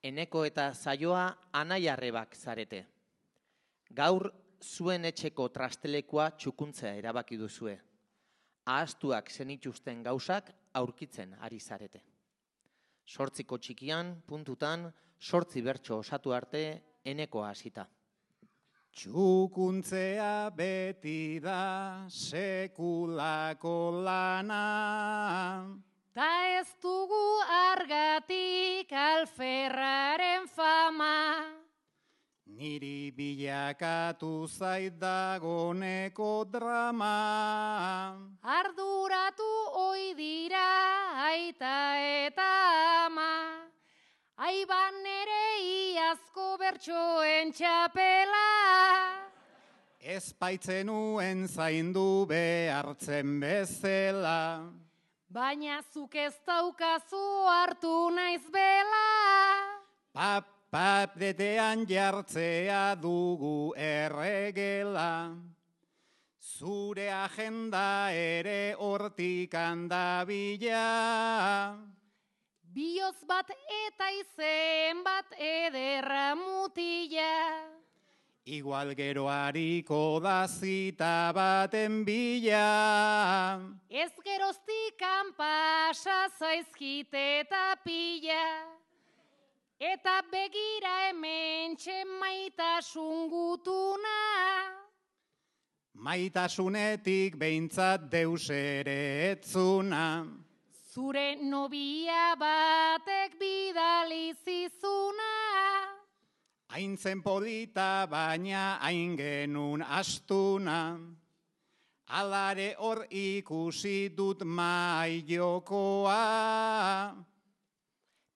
Eneko eta Zaioa anai-arrebak zarete. Gaur zuen etxeko trastelekua txukuntzea erabaki duzue. Ahaztuak zenituzten gauzak aurkitzen ari zarete. 8 txikian, puntutan, 8 bertso osatu arte Enekoa hasita. Txukuntzea beti da sekulako lana. Ta ez dugu argatik alferraren fama. Niri bilakatu zait dagoneko drama. Arduratu ohi dira aita eta ama. Aiban ere iazko bertsoen txapela. Ez baitzenuen zaindu behartzen bezala. Baina zuk ez daukazu hartu naiz bela. Pap detean jartzea dugu erregela. Zure agenda ere hortik handabila. Bioz bat eta izen bat ederra mutila. Igual gero hariko da zita baten bila. Ez geroztikan pasa zaizkite eta pila. Eta begira hementxe maitasun gutuna. Maitasunetik behintzat deus ere etzuna. Zure nobia batek bidali zizuna. Hain zen polita baina hain genun astuna. Alare hor ikusi dut mai jokoa.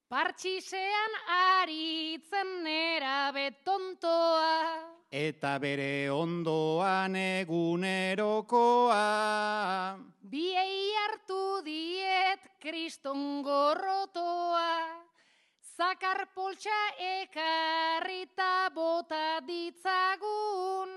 Partxisean aritzen nerabe tontoa. Eta bere ondoan egunerokoa. Biei hartu diet kriston gorrotoa. Zakar poltsa ekarrita bota ditzagun.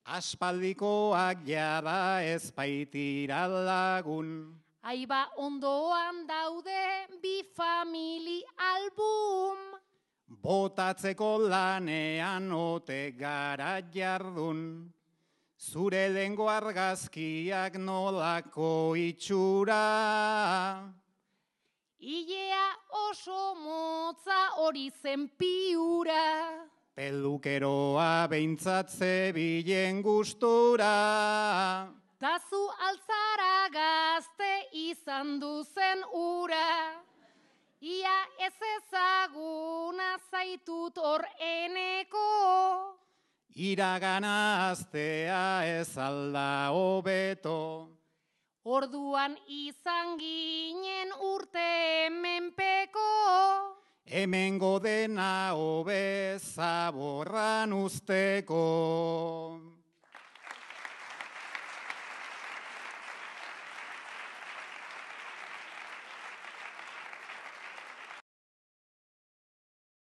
Aspaldikoak jada ez baitira lagun. Aiba ondoan daude bi famili album. Botatzeko lanean ote gara jardun. Zure lehengo argazkiak nolako itxura. Ilea oso motza hori zen piura. Pelukeroa behintzat zebilen gustura. Tazu altzara gazte izan duzen ura. Ia ez ezaguna zaitut hor Eneko. Iragana aztea ez alda hobeto. Orduan izan ginen urte menpeko. Hemengo dena hobe zaborran usteko.